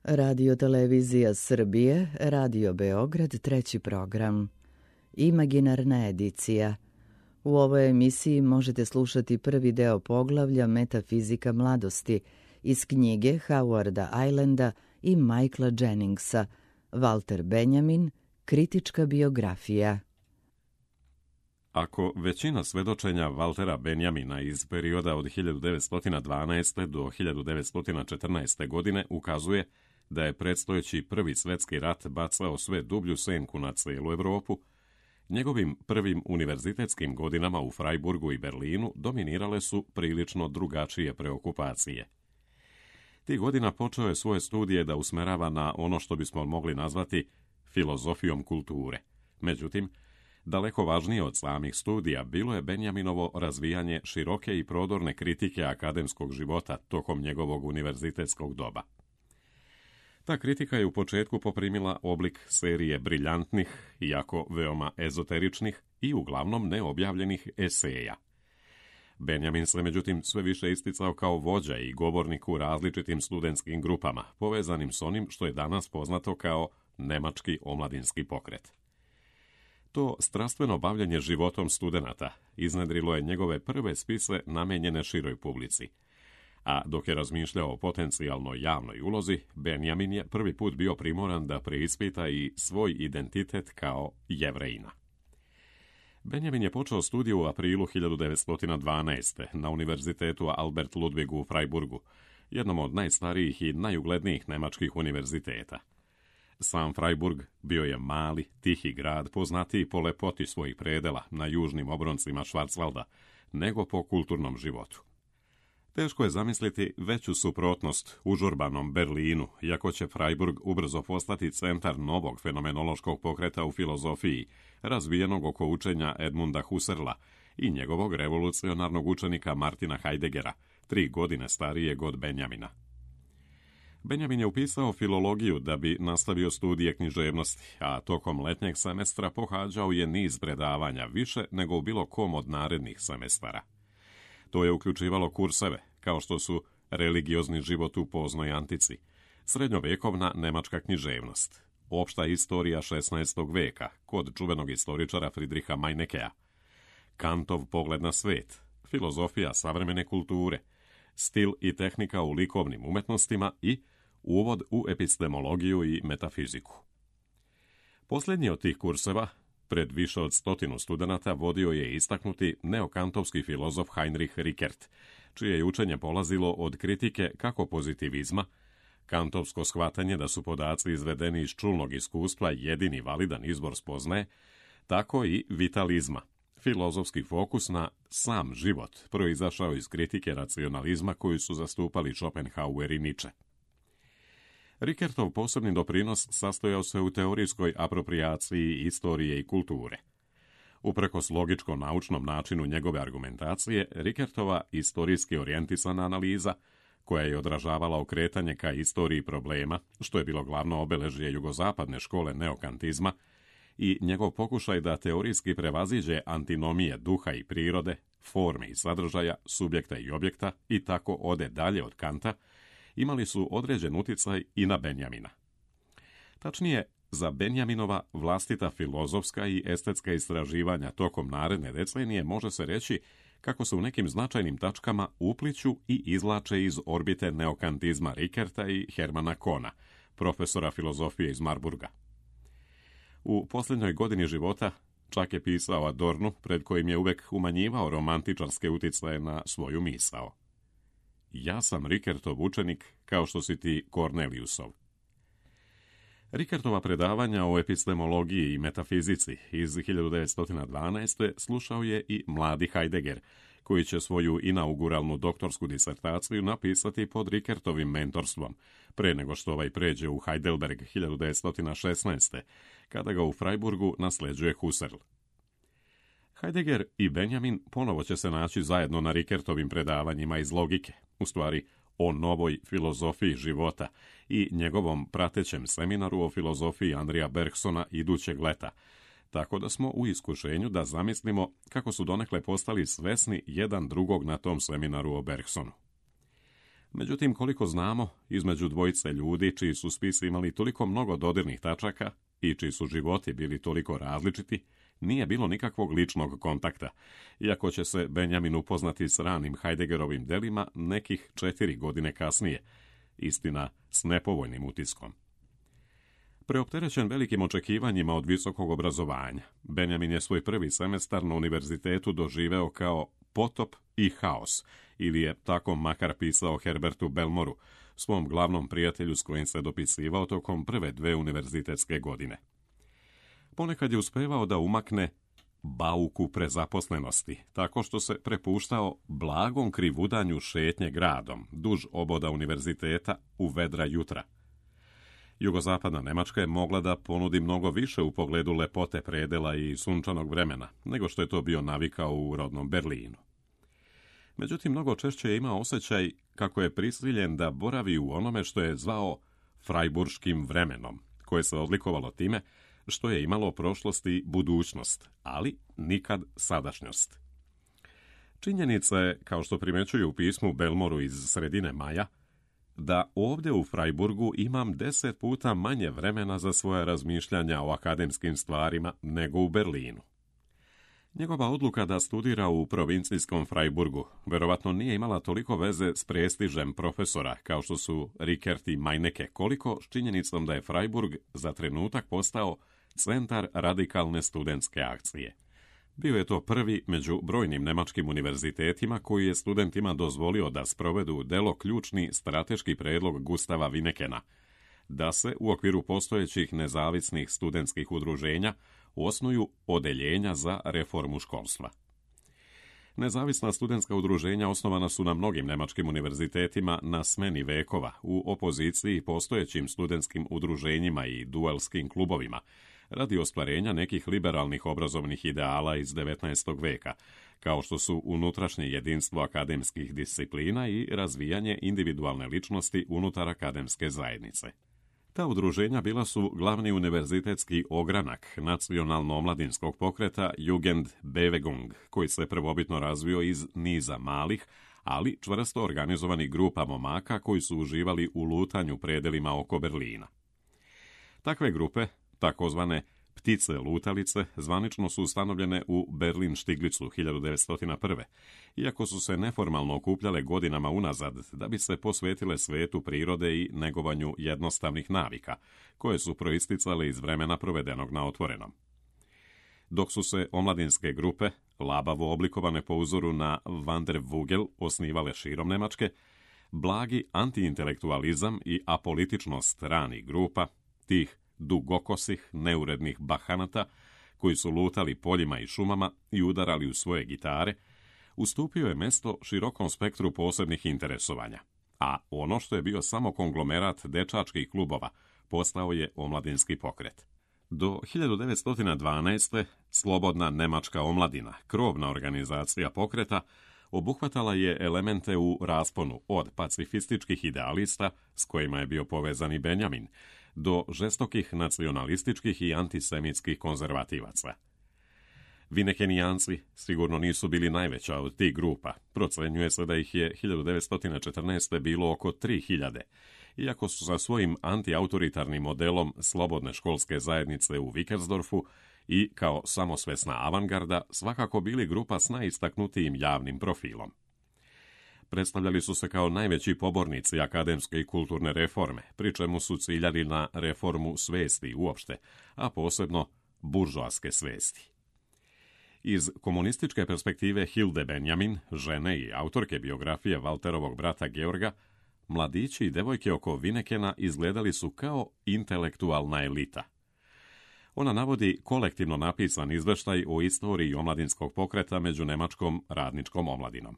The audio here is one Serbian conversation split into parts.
Radio Televizija Srbije, Radio Beograd, treći program. Imaginarna edicija. U ovoj emisiji možete slušati prvi deo poglavlja Metafizika mladosti iz knjige Howarda Islanda i Michaela Jenningsa, Walter Benjamin, kritička biografija. Ako većina svedočenja Waltera Benjamina iz perioda od 1912. do 1914. godine ukazuje da je predstojeći prvi svjetski rat bacao sve dublju senku na cijelu Europu, njegovim prvim univerzitetskim godinama u Freiburgu i Berlinu dominirale su prilično drugačije preokupacije. Tih godina počeo je svoje studije da usmerava na ono što bismo mogli nazvati filozofijom kulture. Međutim, daleko važnije od samih studija bilo je Benjaminovo razvijanje široke i prodorne kritike akademskog života tokom njegovog univerzitetskog doba. Ta kritika je u početku poprimila oblik serije briljantnih, iako veoma ezoteričnih i uglavnom neobjavljenih eseja. Benjamin se međutim sve više isticao kao vođa i govornik u različitim studentskim grupama, povezanim s onim što je danas poznato kao nemački omladinski pokret. To strastveno bavljenje životom studenata iznedrilo je njegove prve spise namenjene široj publici. A dok je razmišljao o potencijalnoj javnoj ulozi, Benjamin je prvi put bio primoran da preispita i svoj identitet kao Jevrejina. Benjamin je počeo studiju u aprilu 1912. na Univerzitetu Albert Ludwig u Freiburgu, jednom od najstarijih i najuglednijih nemačkih univerziteta. Sam Freiburg bio je mali, tihi grad, poznatiji po lepoti svojih predela na južnim obroncima Schwarzwalda, nego po kulturnom životu. Teško je zamisliti veću suprotnost užurbanom Berlinu, iako će Freiburg ubrzo postati centar novog fenomenološkog pokreta u filozofiji, razvijenog oko učenja Edmunda Husserla i njegovog revolucionarnog učenika Martina Heideggera, 3 godine starijeg od Benjamina. Benjamin je upisao filologiju da bi nastavio studije književnosti, a tokom letnjeg semestra pohađao je niz predavanja, više nego u bilo kom od narednih semestara. To je uključivalo kurseve, kao što su religiozni život u poznoj antici, srednjovjekovna nemačka književnost, opšta istorija 16. veka kod čuvenog istoričara Friedricha Meinekea, Kantov pogled na svet, filozofija savremene kulture, stil i tehnika u likovnim umetnostima i uvod u epistemologiju i metafiziku. Posljednji od tih kurseva, pred više od 100 studenata, vodio je istaknuti neokantovski filozof Heinrich Rickert, čije je učenje polazilo od kritike kako pozitivizma, kantovsko shvatanje da su podaci izvedeni iz čulnog iskustva jedini validan izbor spoznaje, tako i vitalizma, filozofski fokus na sam život, proizašao iz kritike racionalizma koju su zastupali Schopenhauer i Nietzsche. Rickertov posebni doprinos sastojao se u teorijskoj aproprijaciji istorije i kulture. Uprkos logičko-naučnom načinu njegove argumentacije, Rickertova istorijski orijentisana analiza, koja je odražavala okretanje ka istoriji problema, što je bilo glavno obeležje jugozapadne škole neokantizma, i njegov pokušaj da teorijski prevaziđe antinomije duha i prirode, forme i sadržaja, subjekta i objekta i tako ode dalje od Kanta, imali su određen utjecaj i na Benjamina. Tačnije, za Benjaminova vlastita filozofska i estetska istraživanja tokom naredne decenije može se reći kako se u nekim značajnim tačkama upliću i izvlače iz orbite neokantizma Rickerta i Hermana Kohna, profesora filozofije iz Marburga. U posljednjoj godini života čak je pisao Adornu, pred kojim je uvek umanjivao romantičarske utjecaje na svoju misao. Ja sam Rickertov učenik, kao što si ti Corneliusov. Rickertova predavanja o epistemologiji i metafizici iz 1912. slušao je i mladi Heidegger, koji će svoju inauguralnu doktorsku disertaciju napisati pod Rickertovim mentorstvom, pre nego što ovaj pređe u Heidelberg 1916. kada ga u Freiburgu nasleđuje Husserl. Heidegger i Benjamin ponovo će se naći zajedno na Rickertovim predavanjima iz logike, u stvari o novoj filozofiji života i njegovom pratećem seminaru o filozofiji Andrija Bergsona idućeg leta, tako da smo u iskušenju da zamislimo kako su donekle postali svesni jedan drugog na tom seminaru o Bergsonu. Međutim, koliko znamo, između dvojice ljudi čiji su spisi imali toliko mnogo dodirnih tačaka i čiji su životi bili toliko različiti, nije bilo nikakvog ličnog kontakta, iako će se Benjamin upoznati s ranim Heideggerovim delima nekih 4 godine kasnije, istina s nepovoljnim utiskom. Preopterećen velikim očekivanjima od visokog obrazovanja, Benjamin je svoj prvi semestar na univerzitetu doživeo kao potop i haos, ili je tako makar pisao Herbertu Belmoru, svom glavnom prijatelju s kojim se dopisivao tokom prve 2 univerzitetske godine. Ponekad je uspevao da umakne bauku prezaposlenosti, tako što se prepuštao blagom krivudanju šetnje gradom, duž oboda univerziteta u vedra jutra. Jugozapadna Nemačka je mogla da ponudi mnogo više u pogledu lepote predela i sunčanog vremena, nego što je to bio navikao u rodnom Berlinu. Međutim, mnogo češće je imao osjećaj kako je prisiljen da boravi u onome što je zvao frajburškim vremenom, koje se odlikovalo time što je imalo prošlost i budućnost, ali nikad sadašnjost. Činjenica je, kao što primećuju u pismu Belmoru iz sredine maja, da ovdje u Freiburgu imam 10 puta manje vremena za svoje razmišljanja o akademskim stvarima nego u Berlinu. Njegova odluka da studira u provincijskom Freiburgu verovatno nije imala toliko veze s prestižem profesora kao što su Rickert i Meinecke, koliko s činjenicom da je Freiburg za trenutak postao centar radikalne studentske akcije. Bio je to prvi među brojnim nemačkim univerzitetima koji je studentima dozvolio da sprovedu delo ključni strateški predlog Gustava Winekena, da se u okviru postojećih nezavisnih studentskih udruženja osnuju odeljenja za reformu školstva. Nezavisna studentska udruženja osnovana su na mnogim nemačkim univerzitetima na smeni vekova u opoziciji postojećim studentskim udruženjima i duelskim klubovima, radi ostvarenja nekih liberalnih obrazovnih ideala iz 19. veka, kao što su unutrašnje jedinstvo akademskih disciplina i razvijanje individualne ličnosti unutar akademske zajednice. Ta udruženja bila su glavni univerzitetski ogranak nacionalno-omladinskog pokreta Jugendbewegung, koji se prvobitno razvio iz niza malih, ali čvrsto organizovanih grupa momaka koji su uživali u lutanju predelima oko Berlina. Takve grupe, takozvane ptice lutalice, zvanično su ustanovljene u Berlin Stiglicu 1901. Iako su se neformalno okupljale godinama unazad da bi se posvetile svetu prirode i negovanju jednostavnih navika, koje su proisticale iz vremena provedenog na otvorenom. Dok su se omladinske grupe, labavo oblikovane po uzoru na Wandervogel, osnivale širom Nemačke, blagi antiintelektualizam i apolitičnost ranih grupa, tih dugokosih, neurednih bahanata, koji su lutali poljima i šumama i udarali u svoje gitare, ustupio je mesto širokom spektru posebnih interesovanja, a ono što je bio samo konglomerat dečačkih klubova postao je omladinski pokret. Do 1912. Slobodna nemačka omladina, krovna organizacija pokreta, obuhvatala je elemente u rasponu od pacifističkih idealista, s kojima je bio povezan i Benjamin, do žestokih nacionalističkih i antisemitskih konzervativaca. Winekenijanci sigurno nisu bili najveća od tih grupa. Procenjuje se da ih je 1914. bilo oko 3000, iako su sa svojim antiautoritarnim modelom slobodne školske zajednice u Vickersdorfu i kao samosvesna avangarda svakako bili grupa s najistaknutijim javnim profilom. Predstavljali su se kao najveći pobornici akademske i kulturne reforme, pri čemu su ciljali na reformu svesti uopšte, a posebno buržoaske svesti. Iz komunističke perspektive Hilde Benjamin, žene i autorke biografije Walterovog brata Georga, mladići i devojke oko Winekena izgledali su kao intelektualna elita. Ona navodi kolektivno napisan izveštaj o istoriji omladinskog pokreta među nemačkom radničkom omladinom.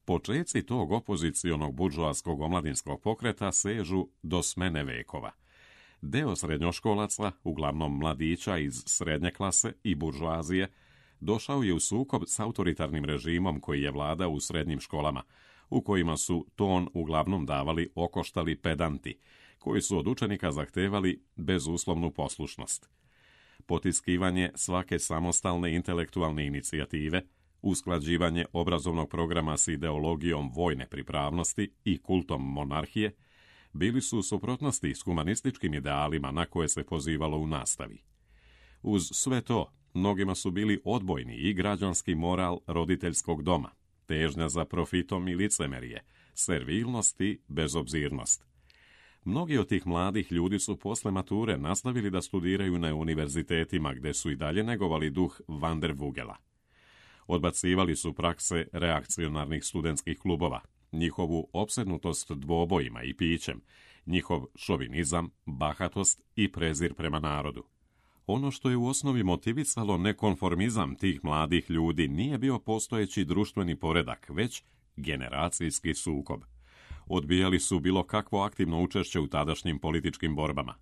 Počeci tog opozicionog buržoaskog omladinskog pokreta sežu do smene vekova. Deo srednjoškolaca, uglavnom mladića iz srednje klase i buržoazije, došao je u sukob s autoritarnim režimom koji je vladao u srednjim školama, u kojima su ton uglavnom davali okoštali pedanti, koji su od učenika zahtevali bezuslovnu poslušnost. Potiskivanje svake samostalne intelektualne inicijative, usklađivanje obrazovnog programa s ideologijom vojne pripravnosti i kultom monarhije, bili su u suprotnosti s humanističkim idealima na koje se pozivalo u nastavi. Uz sve to, mnogima su bili odbojni i građanski moral roditeljskog doma, težnja za profitom i licemerje, servilnost i bezobzirnost. Mnogi od tih mladih ljudi su posle mature nastavili da studiraju na univerzitetima gde su i dalje negovali duh Van der Vugela. Odbacivali su prakse reakcionarnih studentskih klubova, njihovu opsednutost dvobojima i pićem, njihov šovinizam, bahatost i prezir prema narodu. Ono što je u osnovi motivisalo nekonformizam tih mladih ljudi nije bio postojeći društveni poredak, već generacijski sukob. Odbijali su bilo kakvo aktivno učešće u tadašnjim političkim borbama.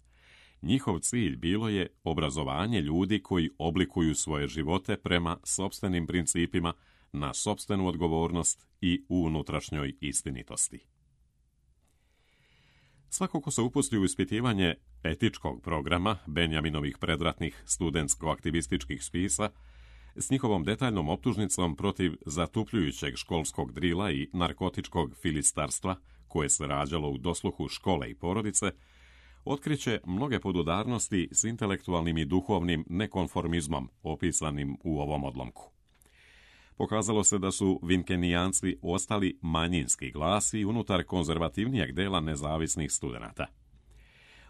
Njihov cilj bilo je obrazovanje ljudi koji oblikuju svoje živote prema sopstvenim principima, na sopstvenu odgovornost i u unutrašnjoj istinitosti. Svako ko se upusti u ispitivanje etičkog programa Benjaminovih predratnih studentsko-aktivističkih spisa, s njihovom detaljnom optužnicom protiv zatupljujućeg školskog drila i narkotičkog filistarstva, koje se rađalo u dosluhu škole i porodice, otkriće mnoge podudarnosti s intelektualnim i duhovnim nekonformizmom opisanim u ovom odlomku. Pokazalo se da su vinkenijanci ostali manjinski glasi unutar konzervativnijeg dela nezavisnih studenata.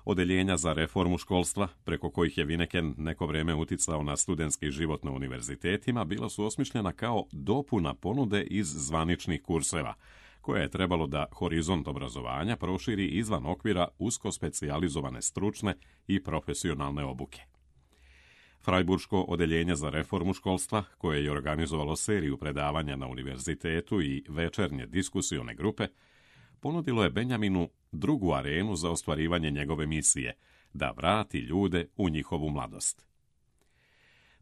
Odeljenja za reformu školstva, preko kojih je Vineken neko vreme uticao na studentski život na univerzitetima, bila su osmišljena kao dopuna ponude iz zvaničnih kurseva, koje je trebalo da horizont obrazovanja proširi izvan okvira usko specijalizovane stručne i profesionalne obuke. Frajburško odeljenje za reformu školstva, koje je organizovalo seriju predavanja na univerzitetu i večernje diskusione grupe, ponudilo je Benjaminu drugu arenu za ostvarivanje njegove misije, da vrati ljude u njihovu mladost.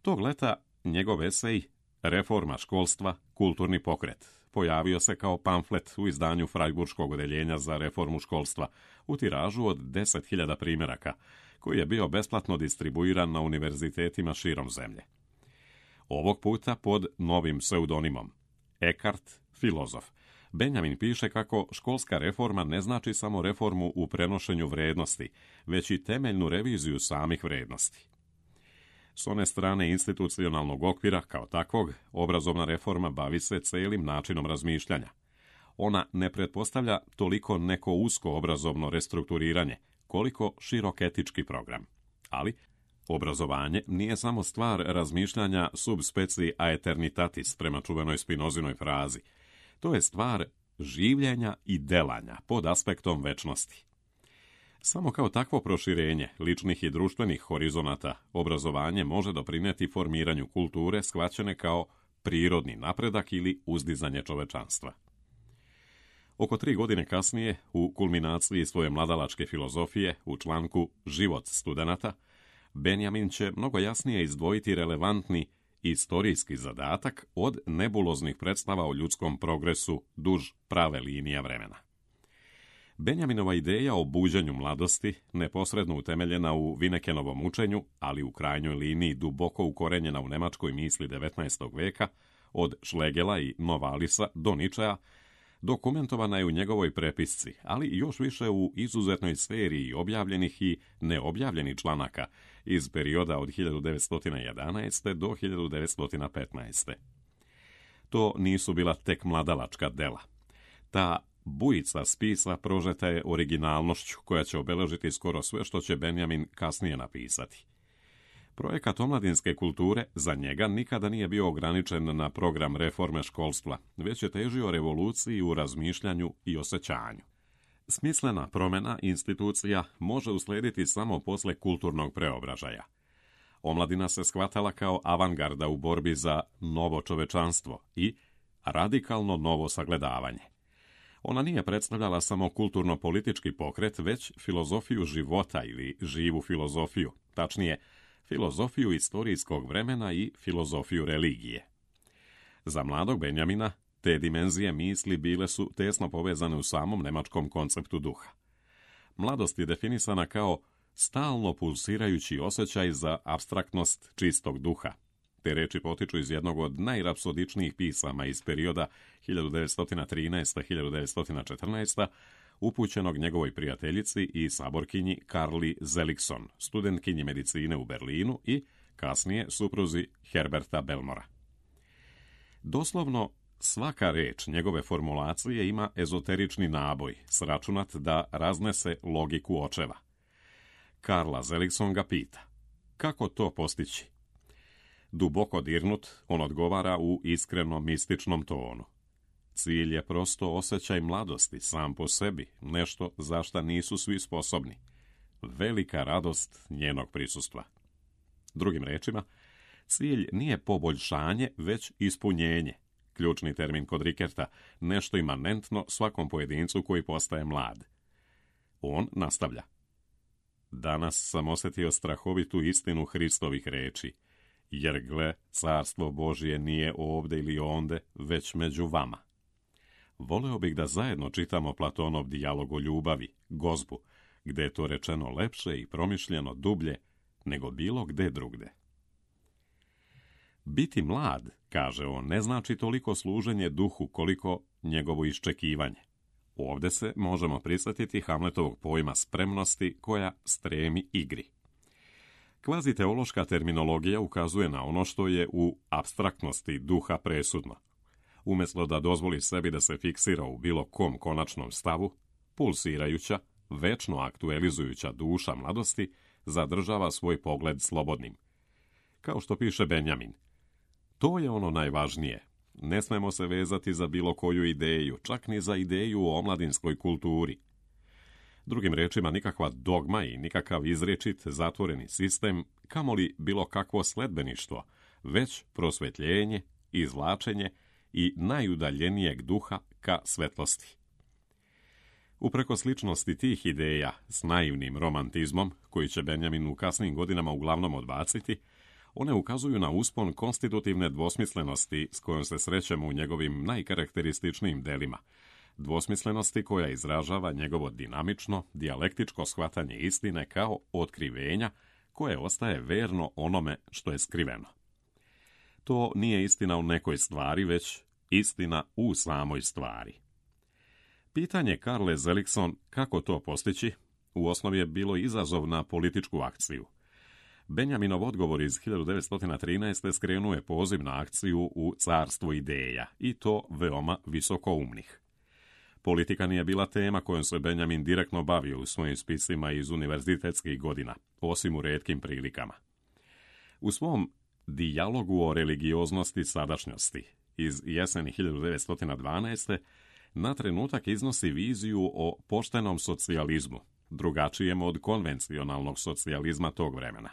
Tog leta njegov esej Reforma školstva, kulturni pokret pojavio se kao pamflet u izdanju Frajburškog odeljenja za reformu školstva u tiražu od 10.000 primjeraka, koji je bio besplatno distribuiran na univerzitetima širom zemlje. Ovog puta pod novim pseudonimom Eckhart, filozof, Benjamin piše kako školska reforma ne znači samo reformu u prenošenju vrednosti, već i temeljnu reviziju samih vrednosti. S one strane institucionalnog okvira, kao takvog, obrazovna reforma bavi se celim načinom razmišljanja. Ona ne pretpostavlja toliko neko usko obrazovno restrukturiranje, koliko širok etički program. Ali obrazovanje nije samo stvar razmišljanja sub specie aeternitatis prema čuvenoj Spinozinoj frazi. To je stvar življenja i delanja pod aspektom večnosti. Samo kao takvo proširenje ličnih i društvenih horizonata obrazovanje može doprinijeti formiranju kulture shvaćene kao prirodni napredak ili uzdizanje čovečanstva. Oko 3 godine kasnije, u kulminaciji svoje mladalačke filozofije, u članku Život studenata, Benjamin će mnogo jasnije izdvojiti relevantni istorijski zadatak od nebuloznih predstava o ljudskom progresu duž prave linija vremena. Benjaminova ideja o buđenju mladosti, neposredno utemeljena u Vinekenovom učenju, ali u krajnjoj liniji duboko ukorenjena u nemačkoj misli 19. veka, od Schlegela i Novalisa do Ničea, dokumentovana je u njegovoj prepisci, ali još više u izuzetnoj seriji objavljenih i neobjavljenih članaka iz perioda od 1911. do 1915. To nisu bila tek mladalačka dela. Ta bujica spisa prožeta je originalnošću koja će obeležiti skoro sve što će Benjamin kasnije napisati. Projekat omladinske kulture za njega nikada nije bio ograničen na program reforme školstva, već je težio revoluciji u razmišljanju i osjećanju. Smislena promjena institucija može uslijediti samo posle kulturnog preobražaja. Omladina se shvatala kao avangarda u borbi za novo čovečanstvo i radikalno novo sagledavanje. Ona nije predstavljala samo kulturno-politički pokret, već filozofiju života ili živu filozofiju, tačnije, filozofiju istorijskog vremena i filozofiju religije. Za mladog Benjamina te dimenzije misli bile su tesno povezane u samom nemačkom konceptu duha. Mladost je definisana kao stalno pulsirajući osjećaj za apstraktnost čistog duha, Te reči potiču iz jednog od najrapsodičnijih pisama iz perioda 1913-1914, upućenog njegovoj prijateljici i saborkinji Karli Zelikson, studentkinji medicine u Berlinu i kasnije supruzi Herberta Belmora. Doslovno, svaka reč njegove formulacije ima ezoterični naboj, sračunat da raznese logiku očeva. Karla Zelikson ga pita, kako to postići? Duboko dirnut, on odgovara u iskreno mističnom tonu. Cilj je prosto osjećaj mladosti sam po sebi, nešto za šta nisu svi sposobni. Velika radost njenog prisustva. Drugim rečima, cilj nije poboljšanje, već ispunjenje. Ključni termin kod Rikerta, nešto imanentno svakom pojedincu koji postaje mlad. On nastavlja. Danas sam osjetio strahovitu istinu Hristovih reči, jer gle, carstvo Božje nije ovde ili onde, već među vama. Voleo bih da zajedno čitamo Platonov dijalog o ljubavi, gozbu, gde je to rečeno lepše i promišljeno dublje nego bilo gde drugde. Biti mlad, kaže on, ne znači toliko služenje duhu koliko njegovo iščekivanje. Ovde se možemo prisjetiti Hamletovog pojma spremnosti koja stremi igri. Kvaziteološka terminologija ukazuje na ono što je u apstraktnosti duha presudno. Umjesto da dozvoli sebi da se fiksira u bilo kom konačnom stavu, pulsirajuća, večno aktualizujuća duša mladosti zadržava svoj pogled slobodnim. Kao što piše Benjamin, to je ono najvažnije. Ne smemo se vezati za bilo koju ideju, čak ni za ideju o omladinskoj kulturi. Drugim rečima, nikakva dogma i nikakav izričit zatvoreni sistem, kamoli bilo kakvo sledbeništvo, već prosvetljenje, izvlačenje i najudaljenijeg duha ka svetlosti. Upreko sličnosti tih ideja s naivnim romantizmom, koji će Benjamin u kasnim godinama uglavnom odbaciti, one ukazuju na uspon konstitutivne dvosmislenosti s kojom se srećemo u njegovim najkarakterističnijim delima, dvosmislenosti koja izražava njegovo dinamično, dijalektičko shvatanje istine kao otkrivenja koje ostaje verno onome što je skriveno. To nije istina u nekoj stvari, već istina u samoj stvari. Pitanje Karle Zelikson kako to postići u osnovi je bilo izazov na političku akciju. Benjaminov odgovor iz 1913. skrenuo je poziv na akciju u carstvu ideja, i to veoma visokoumnih. Politika nije bila tema kojom se Benjamin direktno bavio u svojim spisima iz univerzitetskih godina, osim u retkim prilikama. U svom dijalogu o religioznosti sadašnjosti iz jeseni 1912. na trenutak iznosi viziju o poštenom socijalizmu, drugačijem od konvencionalnog socijalizma tog vremena.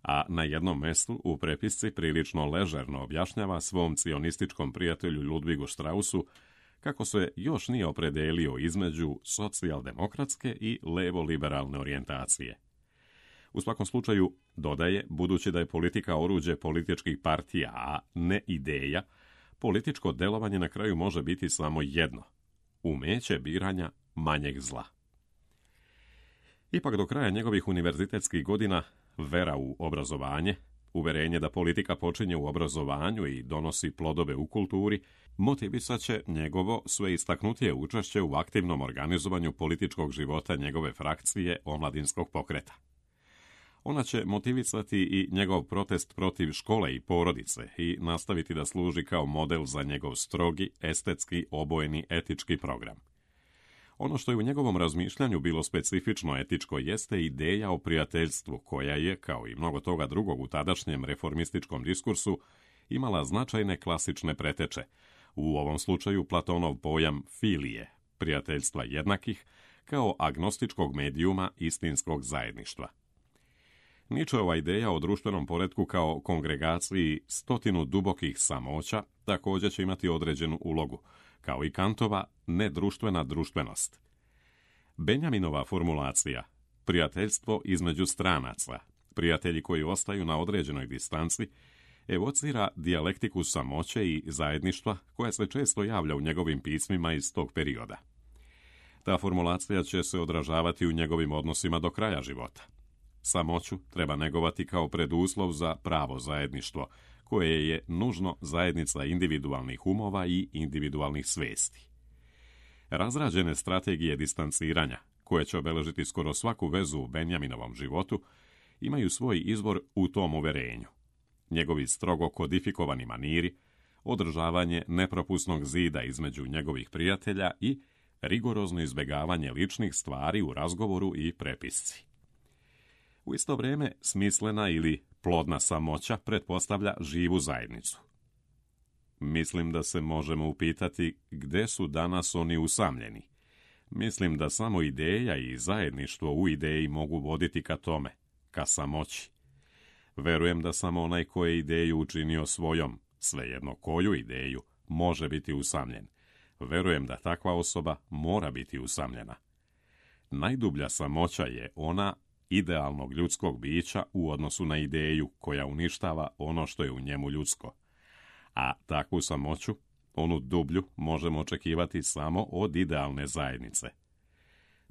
A na jednom mestu u prepisci prilično ležerno objašnjava svom cionističkom prijatelju Ludvigu Straussu kako se još nije opredelio između socijaldemokratske i levo-liberalne orijentacije. U svakom slučaju, dodaje, budući da je politika oruđe političkih partija, a ne ideja, političko delovanje na kraju može biti samo jedno, umeće biranja manjeg zla. Ipak do kraja njegovih univerzitetskih godina vera u obrazovanje, uverenje da politika počinje u obrazovanju i donosi plodove u kulturi, motivisat će njegovo sve istaknutije učešće u aktivnom organizovanju političkog života njegove frakcije omladinskog pokreta. Ona će motivisati i njegov protest protiv škole i porodice i nastaviti da služi kao model za njegov strogi, estetski, obojeni etički program. Ono što je u njegovom razmišljanju bilo specifično etičko jeste ideja o prijateljstvu koja je, kao i mnogo toga drugog u tadašnjem reformističkom diskursu, imala značajne klasične preteče, u ovom slučaju Platonov pojam filije, prijateljstva jednakih, kao agnostičkog medijuma istinskog zajedništva. Nietzscheova ideja o društvenom poretku kao kongregaciji 100 dubokih samoća također će imati određenu ulogu, kao i Kantova nedruštvena društvenost. Benjaminova formulacija, prijateljstvo između stranaca, prijatelji koji ostaju na određenoj distanci, evocira dijalektiku samoće i zajedništva koja se često javlja u njegovim pismima iz tog perioda. Ta formulacija će se odražavati u njegovim odnosima do kraja života. Samoću treba negovati kao preduslov za pravo zajedništvo, koje je nužno zajednica individualnih umova i individualnih svesti. Razrađene strategije distanciranja, koje će obeležiti skoro svaku vezu u Benjaminovom životu, imaju svoj izvor u tom uverenju. Njegovi strogo kodifikovani maniri, održavanje nepropusnog zida između njegovih prijatelja i rigorozno izbjegavanje ličnih stvari u razgovoru i prepisci. U isto vrijeme, smislena ili plodna samoća pretpostavlja živu zajednicu. Mislim da se možemo upitati gdje su danas oni usamljeni. Mislim da samo ideja i zajedništvo u ideji mogu voditi ka tome, ka samoći. Verujem da samo onaj ko je ideju učinio svojom, svejedno koju ideju, može biti usamljen. Verujem da takva osoba mora biti usamljena. Najdublja samoća je ona idealnog ljudskog bića u odnosu na ideju koja uništava ono što je u njemu ljudsko. A takvu samoću, onu dublju, možemo očekivati samo od idealne zajednice.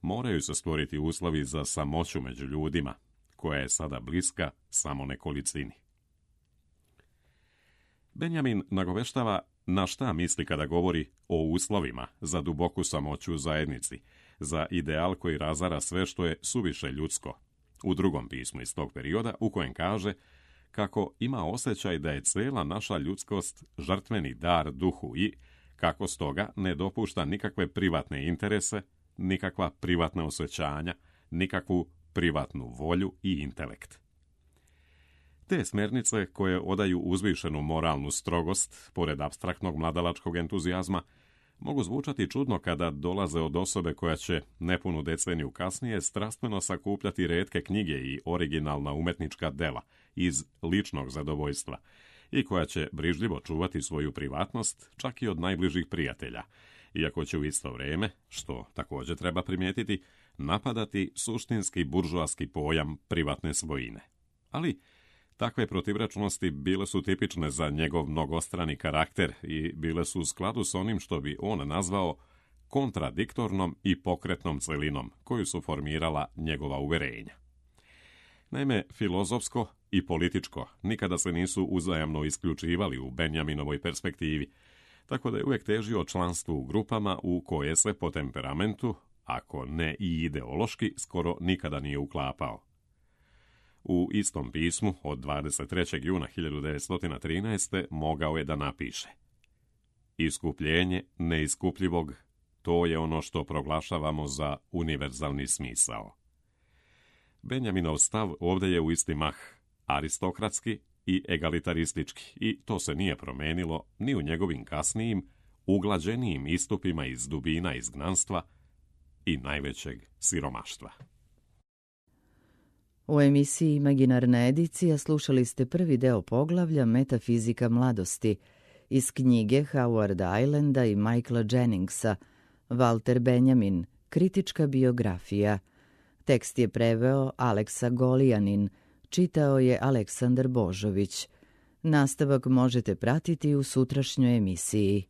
Moraju se stvoriti uslovi za samoću među ljudima, koja je sada bliska samo nekolicini. Benjamin nagoveštava na šta misli kada govori o uslovima za duboku samoću u zajednici, za ideal koji razara sve što je suviše ljudsko, u drugom pismu iz tog perioda u kojem kaže kako ima osjećaj da je cijela naša ljudskost žrtveni dar duhu i kako stoga ne dopušta nikakve privatne interese, nikakva privatna osjećanja, nikakvu privatnu volju i intelekt. Te smjernice koje odaju uzvišenu moralnu strogost, pored apstraktnog mladalačkog entuzijazma, mogu zvučati čudno kada dolaze od osobe koja će nepunu deceniju kasnije strastveno sakupljati retke knjige i originalna umetnička dela iz ličnog zadovoljstva i koja će brižljivo čuvati svoju privatnost čak i od najbližih prijatelja, iako će u isto vrijeme, što također treba primijetiti, napadati suštinski buržoaski pojam privatne svojine. Ali takve protivrečnosti bile su tipične za njegov mnogostrani karakter i bile su u skladu s onim što bi on nazvao kontradiktornom i pokretnom celinom koju su formirala njegova uverenja. Naime, filozofsko i političko nikada se nisu uzajamno isključivali u Benjaminovoj perspektivi, tako da je uvijek težio članstvu u grupama u koje se po temperamentu, ako ne i ideološki, skoro nikada nije uklapao. U istom pismu od 23. juna 1913. mogao je da napiše: Iskupljenje neiskupljivog, to je ono što proglašavamo za univerzalni smisao. Benjaminov stav ovdje je u isti mah aristokratski i egalitaristički i to se nije promenilo ni u njegovim kasnijim, uglađenijim istupima iz dubina izgnanstva i najvećeg siromaštva. U emisiji Imaginarna edicija slušali ste prvi deo poglavlja Metafizika mladosti iz knjige Howarda Islanda i Michaela Jenningsa Walter Benjamin, kritička biografija. Tekst je preveo Aleksa Golijanin, čitao je Aleksandar Božović. Nastavak možete pratiti u sutrašnjoj emisiji.